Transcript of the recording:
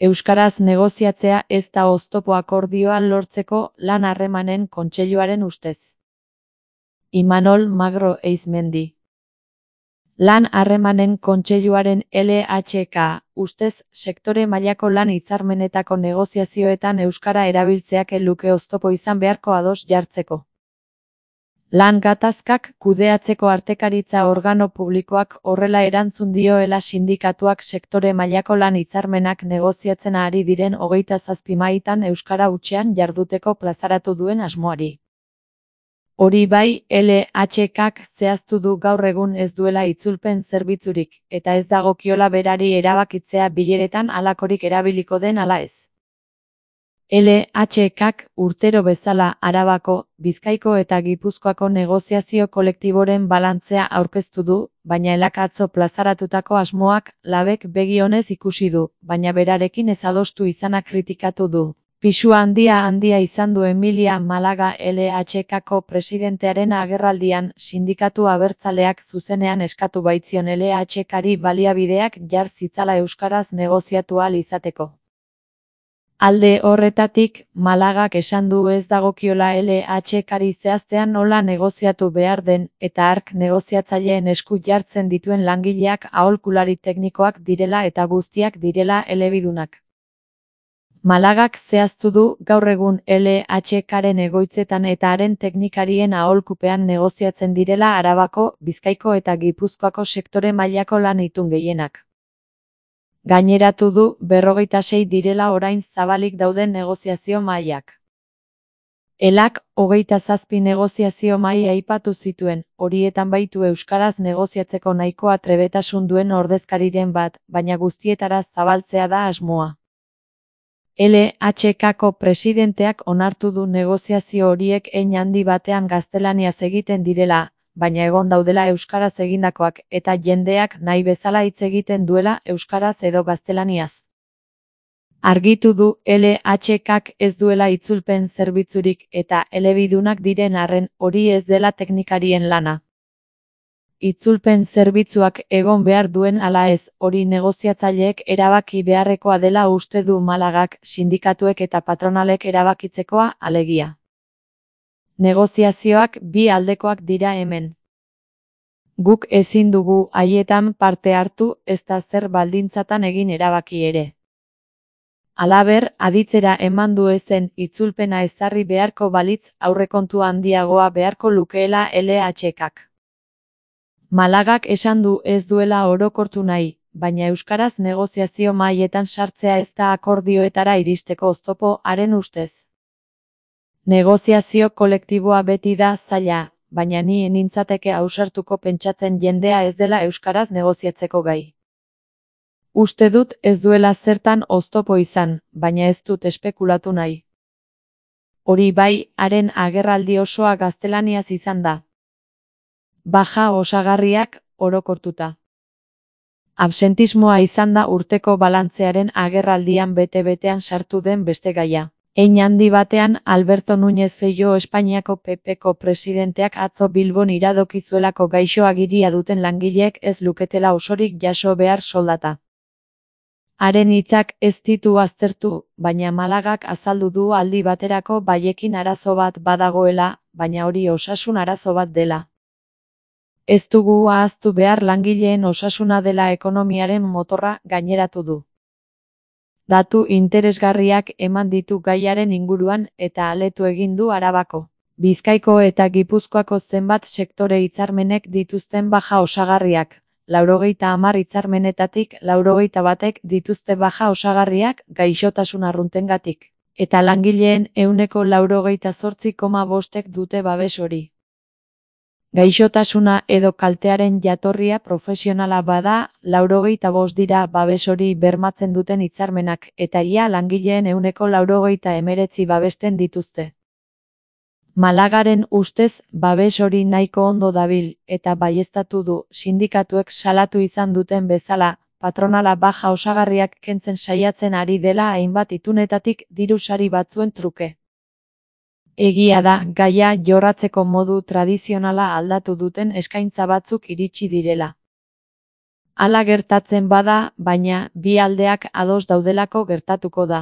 Euskaraz negoziatzea ez da oztopo akordioa lortzeko Lan Harremanen Kontseiluaren ustez. Imanol Magro Eizmendi. Lan Harremanen Kontseiluaren LHK ustez sektore mailako lan hitzarmenetako negoziazioetan euskara erabiltzeak ez luke oztopo izan beharko ados jartzeko. Lan gatazkak kudeatzeko artekaritza organo publikoak horrela erantzun dioela sindikatuak sektore mailako lan hitzarmenak negoziatzen ari diren 27 mahaitan euskara hutsean jarduteko plazaratu duen asmoari. Hori bai, LHKak zehaztu du gaur egun ez duela itzulpen zerbitzurik, eta ez dagokiola berari erabakitzea bileretan halakorik erabiliko den ala ez. LHKak urtero bezala Arabako, Bizkaiko eta Gipuzkoako negoziazio kolektiboren balantzea aurkeztu du, baina elak atzo plazaratutako asmoak labek begi onez ikusi du, baina berarekin ez adostu izana kritikatu du. Pisu handia izan du Emilia Malaga LHKko presidentearen agerraldian, sindikatu abertzaleak zuzenean eskatu baitzion LHKari baliabideak jar zitzala euskaraz negoziatu ahal izateko. Alde horretatik, Malagak esan du ez dagokiola LHKari zehaztean nola negoziatu behar den, eta hark negoziatzaileen esku jartzen dituen langileak aholkulari teknikoak direla eta guztiak direla elebidunak. Malagak zehaztu du gaur egun LHKaren egoitzetan eta haren teknikarien aholkupean negoziatzen direla Arabako, Bizkaiko eta Gipuzkoako sektore mailako lan itun gehienak. Gaineratu du 26 direla orain zabalik dauden negoziazio mailak. Elak 27 negoziazio mahai aipatu zituen, horietan baitu euskaraz negoziatzeko nahikoa trebetasun duen ordezkariren bat, baina guztietara zabaltzea da asmoa. LHKko presidenteak onartu du negoziazio horiek hein handi batean gaztelaniaz egiten direla, baina egon daudela euskaraz egindakoak eta jendeak nahi bezala hitz egiten duela euskaraz edo gaztelaniaz. Argitu du LHKak ez duela itzulpen zerbitzurik eta elebidunak diren arren hori ez dela teknikarien lana. Itzulpen zerbitzuak egon behar duen ala ez, hori negoziatzaileek erabaki beharrekoa dela uste du Malagak, sindikatuek eta patronalek erabakitzekoa, alegia. Negoziazioak bi aldekoak dira hemen. Guk ezin dugu haietan parte hartu, ez da zer baldintzatan egin erabaki ere. Halaber, aditzera eman du ezen itzulpena ezarri beharko balitz aurrekontu handiagoa beharko lukeela LHKak. Malagak esan du ez duela orokortu nahi, baina euskaraz negoziazio mahaietan sartzea ez da akordioetara iristeko oztopo haren ustez. Negoziazio kolektiboa beti da zaila, baina ni nintzateke ausartuko pentsatzen jendea ez dela euskaraz negoziatzeko gai. Uste dut ez duela zertan oztopo izan, baina ez dut espekulatu nahi. Hori bai, haren agerraldi osoa gaztelaniaz izan da. Baja osagarriak orokortuta. Absentismoa izan da urteko balantzearen agerraldian bete-betean sartu den beste gaia. Hein handi batean Alberto Núñez Feijóo Espainiako PPko presidenteak atzo Bilbon iradoki zuelako gaixo agiria duten langileek ez luketela osorik jaso behar soldata. Haren hitzak ez ditu aztertu, baina Malagak azaldu du aldi baterako baiekin arazo bat badagoela, baina hori osasun arazo bat dela. Ez dugu ahaztu behar langileen osasuna dela ekonomiaren motorra, gaineratu du. Datu interesgarriak eman ditu gaiaren inguruan eta aletu egin du Arabako, Bizkaiko eta Gipuzkoako zenbat sektore hitzarmenek dituzten baja osagarriak. 90 hitzarmenetatik 91 dituzte baja osagarriak gaixotasun arruntengatik, eta langileen 98,5% dute babes hori. Gaixotasuna edo kaltearen jatorria profesionala bada, 95 dira babes hori bermatzen duten hitzarmenak, eta ia langileen 99% babesten dituzte. Malagaren ustez, babes hori nahiko ondo dabil, eta baieztatu du, sindikatuek salatu izan duten bezala, patronala baja osagarriak kentzen saiatzen ari dela hainbat itunetatik diru sari batzuen truke. Egia da, gaia jorratzeko modu tradizionala aldatu duten eskaintza batzuk iritsi direla. Hala gertatzen bada, baina, bi aldeak ados daudelako gertatuko da.